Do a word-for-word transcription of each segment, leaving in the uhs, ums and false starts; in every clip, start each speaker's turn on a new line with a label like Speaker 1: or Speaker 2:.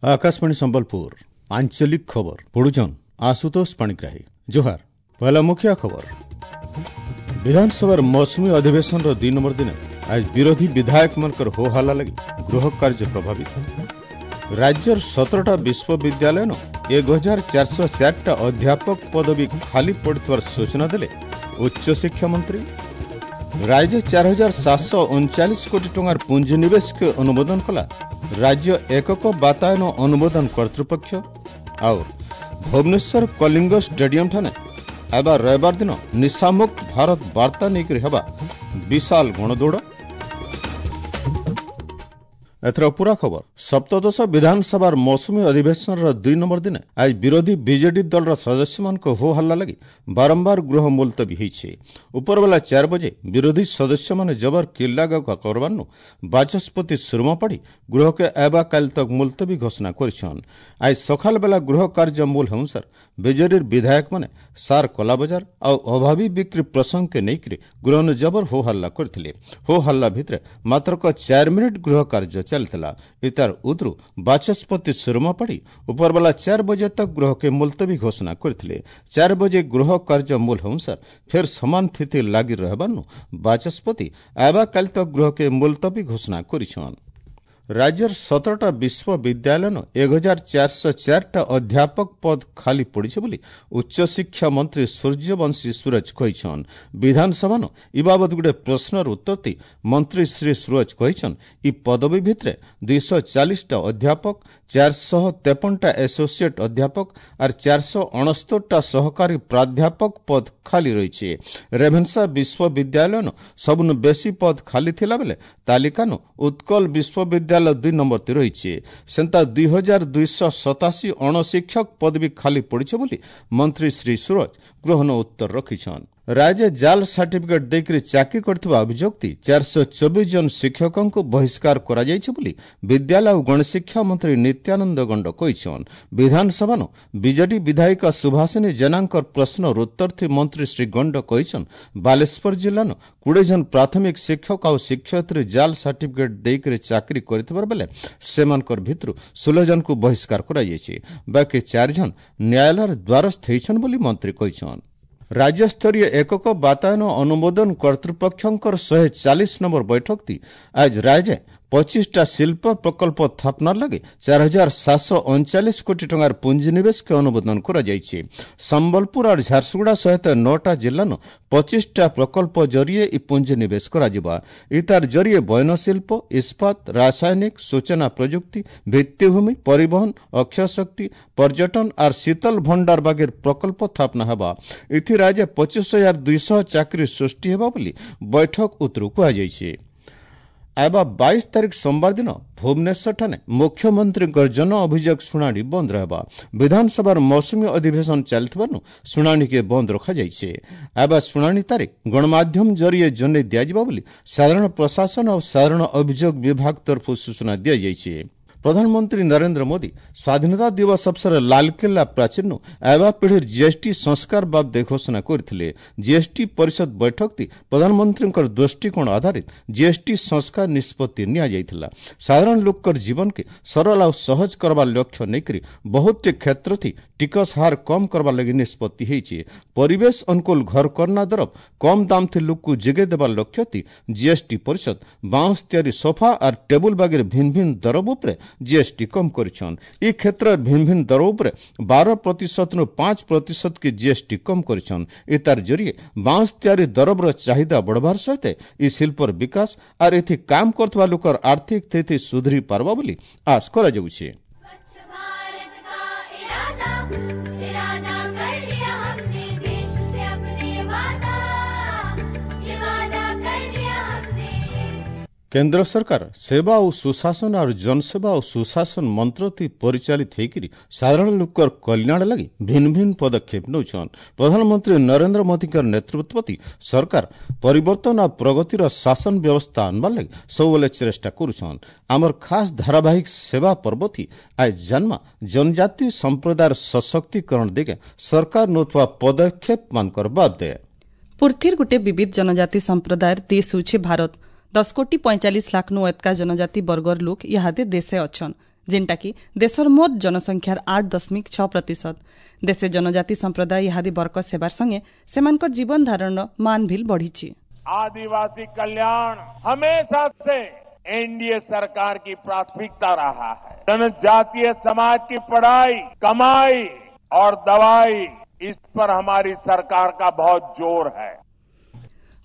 Speaker 1: Akashvani Sambalpur आंचलिक खबर पढ़ुछन आशुतोष पाणिग्राही। जोहार। पहला मुख्य खबर। विधानसभार मौसुमी अधिवेशन दुई नंबर दिन आज विरोधी विधायक मनकर हो हल्ला लगी गृह कार्य प्रभावित। राज्यर सतरटा विश्वविद्यालय एक हजार चार सौ चारटा अध्यापक पदवी खाली पड़ुथिबार सूचना देले उच्च शिक्षा मंत्री। राज्य चार हजार सात सौ उनचालीस कोटी टंकार पूंजीनिवेश के अनुमोदन कला राज्य एकक बातायन अनुमोदन कर्तृपक्ष। और भुवनेश्वर कलिंग स्टेडियम ठाने एबा रविवार दिन निशामुक्त भारत वार्ता नेकर हेबा विशाल गणदौड़। एथर पूरा खबर। सप्तदश विधानसभार मौसुमी अधिवेशन दुई नंबर दिन आज विरोधी बीजेडी दलर सदस्य मान हो हल्ला लगी बारंबार गृह मुलतवी होइছে। उपरबेला चार बजे विरोधी सदस्य माने जबर किल्ला करबानु बाचस्पति सुरमा पाड़ी गृह के एबा काल तक मुलतवी घोषणा करिछन। आज सकाल बेला गृह कार्य मूल हेउसार बीजेडी विधायक माने सार कलाबजार आउ अभावी बिक्री प्रसंग के नेइकरी गृह जबर हो हल्ला करथिले। हो हल्ला भितरे मात्र चार मिनिट गृह कार्य चलता। इतार उद्रु बाचस्पति सुरमा पाड़ी उपरबेला चार बजे तक गृह के मुलतवी घोषणा करथिले। चार बजे गृह कार्य मूल हेउसार फेर समान स्थिति लागि रहबानु बाचस्पति आबा काल तक गृह के मुलतवी घोषणा करिछन। राज्यर सतरटा विश्वविद्यालय एक हजार चार सौ चारटा अध्यापक पद खाली पड़िছে बोली उच्च शिक्षा मंत्री सूर्यवंशी सूरज कहिछन। विधानसभा नो इ बाबद गुटे प्रश्नर उत्तर ती मंत्री श्री सूरज कहिछन इ पदवी भितरे दुई सौ चालीसटा अध्यापक, चार सौ तेपनटा एसोसिएट अध्यापक और चार सौ अणस्तरटा सहकारी प्राध्यापक पद खाली रही। रेभेन्सा विश्वविद्यालय नो सबुनु बेसी पद खाली थिला बेले तालिका नो उत्कल विश्वविद्यालय दुई नंबर ती रही। सेंता दुई हजार दुई सौ सतासी अणशिक्षक पदवी खाली पड़िছে बोली मंत्री श्री सूरज ग्रहण उत्तर रखिछन। राज्य जाल सर्टिफिकेट देकर चाकरी करथिबा अभियोग ती चार सौ चौबीस जन शिक्षकଙ୍କୁ बहिष्कार कराଯାଇଛି बोली विद्यालय और गणशिक्षा मंत्री नित्यानंद गंड कहिछन। विधानसभा नो बीजेडी विधायिका सुभाषिनी जेनांकर प्रश्नर उत्तर थी मंत्री श्री गंड कहिछन बालेश्वर जिला नो कुड़े जन प्राथमिक शिक्षक और शिक्षयित्री जाल सर्टिफिकेट देकर चाकरी करथिबार बेले सेमानकर भितरु षोह जन को बहिष्कार कराଯାଇଛି, बाकी चार जन न्यायालयर द्वारस्थ होइछन बोली मंत्री कहिछन। राज्य स्तरीय एकक बातायन अनुमोदन कर्तृपक्षंकर शहे चालीस नंबर बैठक थी आज राज्य पच्चीसटा शिल्प प्रकल्प स्थापना लगे चार हजार सात सौ उनचालीस कोटी टंकार पूंजीनिवेश के अनुमोदन कराଯାଇଛି। संबलपुर और झारसुगुड़ा सहित नौटा जिला नो पच्चीसटा प्रकल्प जरिए इ पूंजीनिवेश कराଯିବା। इतार जरिए बयनशिल्प, इस्पात, रासायनिक, सूचना प्रयुक्ति, भित्तिभूमि, परिवहन, अक्षय शक्ति, पर्यटन और शीतल भंडार बागेर प्रकल्प स्थापना हेबा। इथि राज्य पच्चीस हजार दुई सौ चाकरी सृष्टि हेबा बोली बैठक उतरू कुहाଯାଇଛି। आबा बाईस तारीख सोमवार दिन भुवनेश्वर ठाने मुख्यमंत्री जन अभियोग शुणाणी बंद रहबा। विधानसभार मौसुमी अधिवेशन चलथिबानु शुणाणी के बंद रखा जाइছে। आबा शुणाणी तारीख गणमाध्यम जरिए जने दियाजिबा बोली साधारण प्रशासन और साधारण अभियोग विभाग तरफ सूचना दिया जाइছে। प्रधानमंत्री नरेंद्र मोदी स्वाधीनता दिवस अवसर लालकिल्ला प्राचीर नु आवा पीढ़ी जीएसटी संस्कार बाबदे घोषणा करथिले। जीएसटी परिषद बैठक ती प्रधानमंत्री दृष्टिकोण आधारित जीएसटी संस्कार निष्पत्ति निया जाइथिला। साधारण लोककर जीवन के सरल और सहज करबा लक्ष्य नेकरी बहुत क्षेत्र थी टिकस हार कम करबा लगी निष्पत्ति होइছে। परिवेश अनुकूल घर करना दरफ कम दाम थी लोक को जिगे देबा लक्ष्य थी जीएसटी परिषद बांस तैयारी सोफा और टेबुल बागेर भिन्न भिन्न दरब उपरे जीएसटी कम करिछन। ई क्षेत्र भिन्न भिन्न दर उपरे बारह प्रतिशत नु पांच प्रतिशत के जीएसटी कम करिछन। एतार जरिए बांस तैयारी दरबर चाহিदा बढ़बार सहित ई शिल्पर विकास are एथि काम करथुवा लोकर आर्थिक स्थिति सुधरी पारबा बोली आश करा जाउछे। केंद्र सरकार सेवा और सुशासन और जनसेवा और सुशासन मंत्र ती परिचालित होकर साधारण लोकर कल्याण लगी भिन्न भिन्न पदक्षेप नौछन। प्रधानमंत्री नरेंद्र मोदी नेतृत्व सरकार परिवर्तन और प्रगतिर शासन व्यवस्था आनबार लगी सबुले चेष्टा करुछन। आमर खास धारावाहिक सेवा पर्व थी आज जन्मा जनजाति संप्रदाय सशक्तिकरण दिगे सरकार नौथुआ पदक्षेप मानकर बादे।
Speaker 2: ପୃଥିବୀର ଗୋଟେ ବିବିଧ ଜନଜାତି ସମ୍ପ୍ରଦାୟର ଦେଶ ହେଉଛି ଭାରତ। ଦଶ କୋଟି ପଇଁଚାଳିଶ ଲାଖ ନୁ ଏତକା ଜନଜାତି ବର୍ଗର ଲୋକ ଇହାଦେ ଦେଶେ ଅଛନ୍, ଯେନ୍ଟାକି ଦେଶର ମୋଟ ଜନସଂଖ୍ୟାର ଆଠ ଦଶମିକ ଛଅ ପ୍ରତିଶତ। ଦେଶେ ଜନଜାତି ସମ୍ପ୍ରଦାୟ ଇହାଦେ ବରକତ ହେବାର ସଙ୍ଗେ ସେମାନଙ୍କର ଜୀବନ ଧାରଣର ମାନ ଭିଲ ବଢ଼ିଛି।
Speaker 3: आदिवासी कल्याण हमेशा से एनडीए सरकार की प्राथमिकता रहा है। जनजातीय समाज की पढ़ाई, कमाई और दवाई, इस पर हमारी सरकार का बहुत जोर है।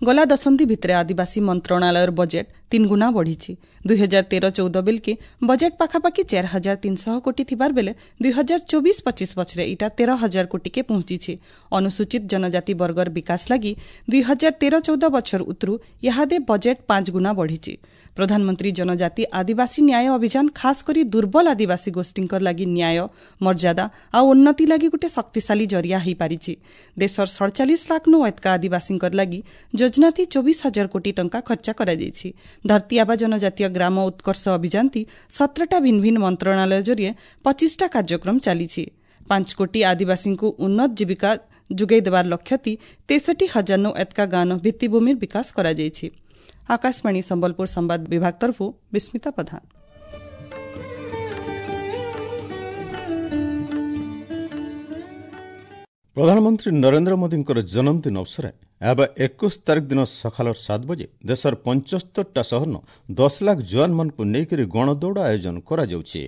Speaker 2: ଗଲା ଦଶନ୍ଧି ଭିତରେ ଆଦିବାସୀ ମନ୍ତ୍ରଣାଳୟର ବଜେଟ୍ ତିନିଗୁଣା ବଢ଼ିଛି। ଦୁଇ ହଜାର ତେର ଚଉଦ ବେଲକେ ବଜେଟ୍ ପାଖାପାଖି ଚାରି ହଜାର ତିନିଶହ କୋଟି ଥିବାର ବେଲେ ଦୁଇ ହଜାର ଚବିଶ ପଚିଶ ବଛରେ ଇଟା ତେର ହଜାର କୋଟିକେ ପହଞ୍ଚିଛି। ଅନୁସୂଚିତ ଜନଜାତି ବର୍ଗର ବିକାଶ ଲାଗି ଦୁଇ ହଜାର ତେର ଚଉଦ ବଛର ଉତରୁ ଇହାଦେ ବଜେଟ୍ ପାଞ୍ଚ ଗୁଣା ବଢ଼ିଛି। ପ୍ରଧାନମନ୍ତ୍ରୀ ଜନଜାତି ଆଦିବାସୀ ନ୍ୟାୟ ଅଭିଯାନ ଖାସ କରି ଦୁର୍ବଳ ଆଦିବାସୀ ଗୋଷ୍ଠୀଙ୍କର ଲାଗି ନ୍ୟାୟ, ମର୍ଯ୍ୟାଦା ଆଉ ଉନ୍ନତି ଲାଗି ଗୋଟେ ଶକ୍ତିଶାଳୀ ଜରିଆ ହୋଇପାରିଛି। ଦେଶର ସଡ଼ଚାଳିଶ ଲାଖ ନୁ ଏତକା ଆଦିବାସୀଙ୍କର ଲାଗି ଯୋଜନାଥି ଚବିଶ ହଜାର କୋଟି ଟଙ୍କା ଖର୍ଚ୍ଚ କରାଯାଇଛି। ଧରତୀ ଆବା ଜନଜାତୀୟ ଗ୍ରାମ ଉତ୍କର୍ଷ ଅଭିଯାନଥି ସତରଟା ଭିନ୍ନ ଭିନ୍ନ ମନ୍ତ୍ରଣାଳୟ ଜରିଏ ପଚିଶଟା କାର୍ଯ୍ୟକ୍ରମ ଚାଲିଛି। ପାଞ୍ଚ କୋଟି ଆଦିବାସୀଙ୍କୁ ଉନ୍ନତ ଜୀବିକା ଯୋଗାଇ ଦେବାର ଲକ୍ଷ୍ୟଥି ତେଷଠି ହଜାର ନୁ ଏତକା ଗାଁନ ଭିତ୍ତିଭୂମିର ବିକାଶ କରାଯାଇଛି। ଆକାଶବାଣୀ ସମ୍ବଲପୁର ସମ୍ବାଦ ବିଭାଗ ତରଫରୁ ବିସ୍ମିତା ପ୍ରଧାନ।
Speaker 1: ପ୍ରଧାନମନ୍ତ୍ରୀ ନରେନ୍ଦ୍ର ମୋଦିଙ୍କର ଜନ୍ମଦିନ ଅବସରରେ ଏବେ ଏକୋଇଶ ତାରିଖ ଦିନ ସକାଳ ସାତ ବଜେ ଦେଶର ପଞ୍ଚସ୍ତରଟା ସହରନ ଦଶ ଲାଖ ଯବାନମାନଙ୍କୁ ନେଇକରି ଗଣଦୌଡ଼ ଆୟୋଜନ କରାଯାଉଛି।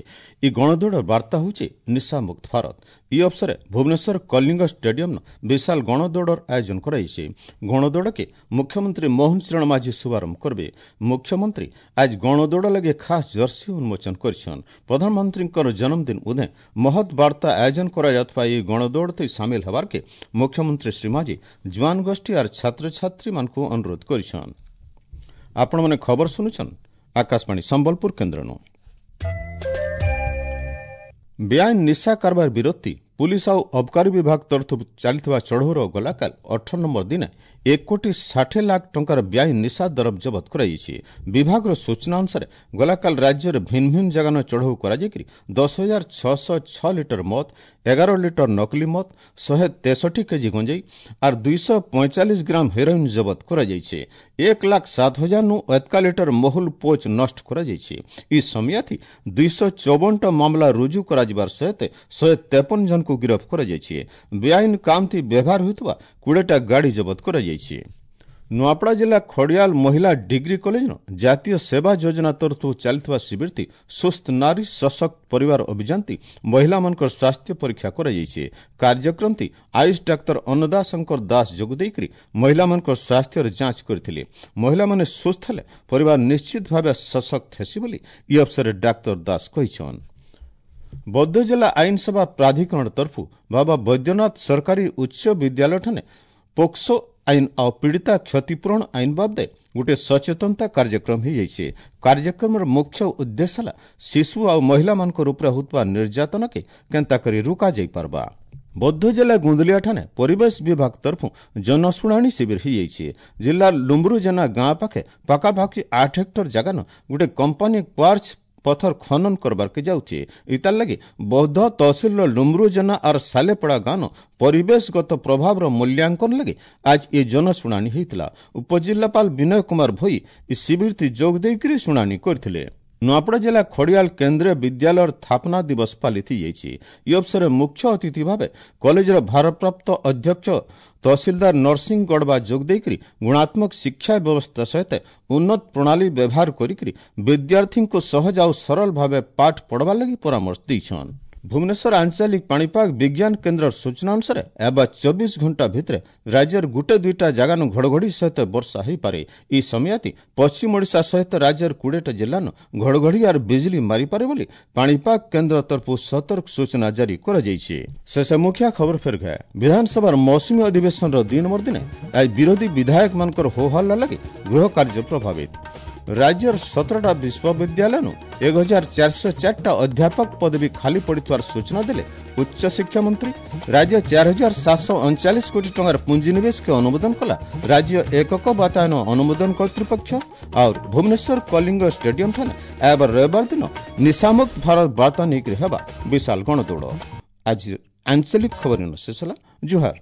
Speaker 1: ଏହି ଗଣଦୌଡ଼ର ବାର୍ତ୍ତା ହେଉଛି ନିଶାମୁକ୍ତ ଭାରତ। ଏହି ଅବସରରେ ଭୁବନେଶ୍ୱର କଳିଙ୍ଗ ଷ୍ଟାଡିୟମନ ବିଶାଳ ଗଣଦୌଡ଼ର ଆୟୋଜନ କରାଯାଇଛି। ଗଣଦୌଡ଼କେ ମୁଖ୍ୟମନ୍ତ୍ରୀ ମୋହନ ଚରଣ ମାଝୀ ଶୁଭାରମ୍ଭ କରିବେ। ମୁଖ୍ୟମନ୍ତ୍ରୀ ଆଜ ଗଣଦୌଡ଼ ଲାଗି ଖାସ୍ ଜର୍ସି ଉନ୍ମୋଚନ କରିଛନ୍। ପ୍ରଧାନମନ୍ତ୍ରୀଙ୍କର ଜନ୍ମଦିନ ଉଦେ ମହତ୍ ବାର୍ତ୍ତା ଆୟୋଜନ କରାଯାଉଥିବା ଏହି ଗଣଦୌଡ଼ରେ ସାମିଲ ହେବାର୍କେ ମୁଖ୍ୟମନ୍ତ୍ରୀ ଶ୍ରୀ ମାଝୀ ଯବାନ ଗୋଷ୍ଠୀ ଆର୍ ଛାତ୍ରଛାତ୍ରୀମାନଙ୍କୁ ଅନୁରୋଧ କରିଛନ୍। ଆପଣମାନେ ଖବର ଶୁଣୁଛନ୍ ଆକାଶବାଣୀ ସମ୍ବଲପୁର କେନ୍ଦ୍ରନୁ। ବେଆଇନ ନିଶା କାରବାର ବିରୋଧୀ ପୁଲିସ ଆଉ ଅବକାରୀ ବିଭାଗ ତରଫରୁ ଚାଲିଥିବା ଚଢ଼ଉର ଗଲାକାଲ ଅଠର ନମ୍ବର ଦିନ ଏକ କୋଟି ଷାଠିଏ ଲାଖ ଟଙ୍କାର ବେଆଇନ ନିଶା ଦରବ ଜବତ କରାଯାଇଛି। ବିଭାଗର ସୂଚନା ଅନୁସାରେ ଗଲାକାଲ ରାଜ୍ୟରେ ଭିନ୍ନ ଭିନ୍ନ ଜାଗାନ ଚଢ଼ଉ କରାଯାଇକରି ଦଶ ହଜାର ଛଅଶହ ଛଅ ଲିଟର ମଦ, ଏଗାର ଲିଟର ନକଲି ମଦ, ଶହେ ତେଷଠି କେଜି ଗଞ୍ଜେଇ ଆର୍ ଦୁଇଶହ ପଇଁଚାଳିଶ ଗ୍ରାମ ହେରୋଇନ୍ ଜବତ କରାଯାଇଛି। ଏକ ଲାଖ ସାତ ହଜାର ନୁ ଏତକା ଲିଟର ମହୁଲ ପୋଚ ନଷ୍ଟ କରାଯାଇଛି। ଇ ସମିଆଥି ଦୁଇଶହ ଚଉବନଟା ମାମଲା ରୁଜୁ କରାଯିବାର ସହିତ ଶହେ ତେପନ ଜଣଙ୍କୁ ଗିରଫ କରାଯାଇଛି। ବେଆଇନ କାମଥି ବ୍ୟବହାର ହେଉଥିବା କୋଡ଼ିଏଟା ଗାଡ଼ି ଜବତ କରାଯାଇଛି। ନୂଆପଡ଼ା ଜିଲ୍ଲା ଖଡ଼ିଆଲ ମହିଳା ଡିଗ୍ରୀ କଲେଜର ଜାତୀୟ ସେବା ଯୋଜନା ତରଫରୁ ଚାଲିଥିବା ଶିବିରଟି ସୁସ୍ଥ ନାରୀ ସଶକ୍ତ ପରିବାର ଅଭିଯାନଟି ମହିଳାମାନଙ୍କର ସ୍ୱାସ୍ଥ୍ୟ ପରୀକ୍ଷା କରାଯାଇଛି। କାର୍ଯ୍ୟକ୍ରମଟି ଆୟୁଷ ଡାକ୍ତର ଅନ୍ନଦା ଶଙ୍କର ଦାସ ଯୋଗ ଦେଇକରି ମହିଳାମାନଙ୍କର ସ୍ୱାସ୍ଥ୍ୟର ଯାଞ୍ଚ କରିଥିଲେ। ମହିଳାମାନେ ସୁସ୍ଥ ହେଲେ ପରିବାର ନିଶ୍ଚିତ ଭାବେ ସଶକ୍ତ ହେସି ବୋଲି ଇ ଅବସରରେ ଡାକ୍ତର ଦାସ କହିଛନ୍। ବୌଦ୍ଧ ଜିଲ୍ଲା ଆଇନ ସେବା ପ୍ରାଧିକରଣ ତରଫରୁ ବାବା ବୈଦ୍ୟନାଥ ସରକାରୀ ଉଚ୍ଚ ବିଦ୍ୟାଳୟଠାରେ ପୋକ୍ସୋ ଆଇନ ଆଉ ପୀଡ଼ିତା କ୍ଷତିପୂରଣ ଆଇନ ବାବଦେ ଗୋଟିଏ ସଚେତନତା କାର୍ଯ୍ୟକ୍ରମ ହୋଇଯାଇଛି। କାର୍ଯ୍ୟକ୍ରମର ମୁଖ୍ୟ ଉଦ୍ଦେଶ୍ୟ ହେଲା ଶିଶୁ ଆଉ ମହିଳାମାନଙ୍କ ଉପରେ ହେଉଥିବା ନିର୍ଯାତନାକେ କେନ୍ତା କରି ରୋକା ଯାଇପାରବା। ବୌଦ୍ଧ ଜିଲ୍ଲା ଗୁନ୍ଦୁଲିଆଠାରେ ପରିବେଶ ବିଭାଗ ତରଫରୁ ଜନଶୁଣାଣି ଶିବିର ହୋଇଯାଇଛି। ଜିଲ୍ଲାର ଲୁମ୍ବୁରୁଜେନା ଗାଁ ପାଖେ ପାଖାପାଖି ଆଠ ହେକ୍ଟର ଜାଗାନ ଗୋଟେ କମ୍ପାନୀ କ୍ୱାର୍ଚ ପଥର ଖନନ କରବାର୍କେ ଯାଉଛି। ଇତାର ଲାଗି ବୌଦ୍ଧ ତହସିଲର ଲୁମ୍ରୁଜେନା ଆର୍ ସାଲେପଡ଼ା ଗାଁନ ପରିବେଶଗତ ପ୍ରଭାବର ମୂଲ୍ୟାଙ୍କନ ଲାଗି ଆଜ ଏ ଜନଶୁଣାଣି ହୋଇଥିଲା। ଉପଜିଲ୍ଲାପାଳ ବିନୟ କୁମାର ଭୋଇ ଏ ଶିବିରଟି ଯୋଗ ଦେଇକରି ଶୁଣାଣି କରିଥିଲେ। ନୂଆପଡ଼ା ଜିଲ୍ଲା ଖଡ଼ିଆଲ କେନ୍ଦ୍ରୀୟ ବିଦ୍ୟାଳୟର ସ୍ଥାପନା ଦିବସ ପାଳିତ ହୋଇଯାଇଛି। ଏହି ଅବସରରେ ମୁଖ୍ୟ ଅତିଥି ଭାବେ କଲେଜର ଭାରପ୍ରାପ୍ତ ଅଧ୍ୟକ୍ଷ ତହସିଲଦାର ନରସିଂହ ଗଡ଼ବା ଯୋଗ ଦେଇକରି ଗୁଣାତ୍ମକ ଶିକ୍ଷା ବ୍ୟବସ୍ଥା ସହିତ ଉନ୍ନତ ପ୍ରଣାଳୀ ବ୍ୟବହାର କରିକରି ବିଦ୍ୟାର୍ଥୀଙ୍କୁ ସହଜ ଆଉ ସରଳ ଭାବେ ପାଠ ପଢ଼ବାର ଲାଗି ପରାମର୍ଶ ଦେଇଛନ୍। ଭୁବନେଶ୍ୱର ଆଞ୍ଚଳିକ ପାଣିପାଗ ବିଜ୍ଞାନ କେନ୍ଦ୍ରର ସୂଚନା ଅନୁସାରେ ଏବେ ଚବିଶ ଘଣ୍ଟା ଭିତରେ ରାଜ୍ୟର ଗୋଟେ ଦୁଇଟା ଜାଗାନୁ ଘଡ଼ଘଡ଼ି ସହିତ ବର୍ଷା ହୋଇପାରେ। ଏହି ସମୟାତି ପଶ୍ଚିମ ଓଡ଼ିଶା ସହିତ ରାଜ୍ୟର କୋଡ଼ିଏଟା ଜିଲ୍ଲାନୁ ଘଡ଼ଘଡ଼ି ଆର୍ ବିଜୁଳି ମାରିପାରେ ବୋଲି ପାଣିପାଗ କେନ୍ଦ୍ର ତରଫରୁ ସତର୍କ ସୂଚନା ଜାରି କରାଯାଇଛି। ଶେଷ ମୁଖିଆ ଖବର ଫେର ଘାଏ। ବିଧାନସଭାର ମୌସୁମୀ ଅଧିବେଶନର ଦୁଇ ନମ୍ବର ଦିନେ ଆଜି ବିରୋଧୀ ବିଧାୟକମାନଙ୍କର ହୋହଲ୍ଲା ଲାଗି ଗୃହ କାର୍ଯ୍ୟ ପ୍ରଭାବିତ। ରାଜ୍ୟର ସତରଟା ବିଶ୍ୱବିଦ୍ୟାଳୟରୁ ଏକ ହଜାର ଚାରିଶହ ଚାରିଟା ଅଧ୍ୟାପକ ପଦବୀ ଖାଲି ପଡ଼ିଥିବାର ସୂଚନା ଦେଲେ ଉଚ୍ଚଶିକ୍ଷା ମନ୍ତ୍ରୀ। ରାଜ୍ୟ ଚାରି ହଜାର ସାତଶହ ଅଣଚାଳିଶ କୋଟି ଟଙ୍କାର ପୁଞ୍ଜିନିବେଶକୁ ଅନୁମୋଦନ କଲା ରାଜ୍ୟ ଏକକ ବାତାୟନ ଅନୁମୋଦନ କର୍ତ୍ତୃପକ୍ଷ। ଆଉ ଭୁବନେଶ୍ୱର କଳିଙ୍ଗ ଷ୍ଟାଡିୟମ ଠାରେ ଏବେ ରବିବାର ଦିନ ନିଶାମୁକ୍ତ ଭାରତ ବାର୍ତ୍ତା ନେଇକରି ହେବା ବିଶାଳ ଗଣଦୌଡ଼। ଆଜି ଆଞ୍ଚଳିକ ଖବର ଶେଷ ହେଲା। ଜୁହାର।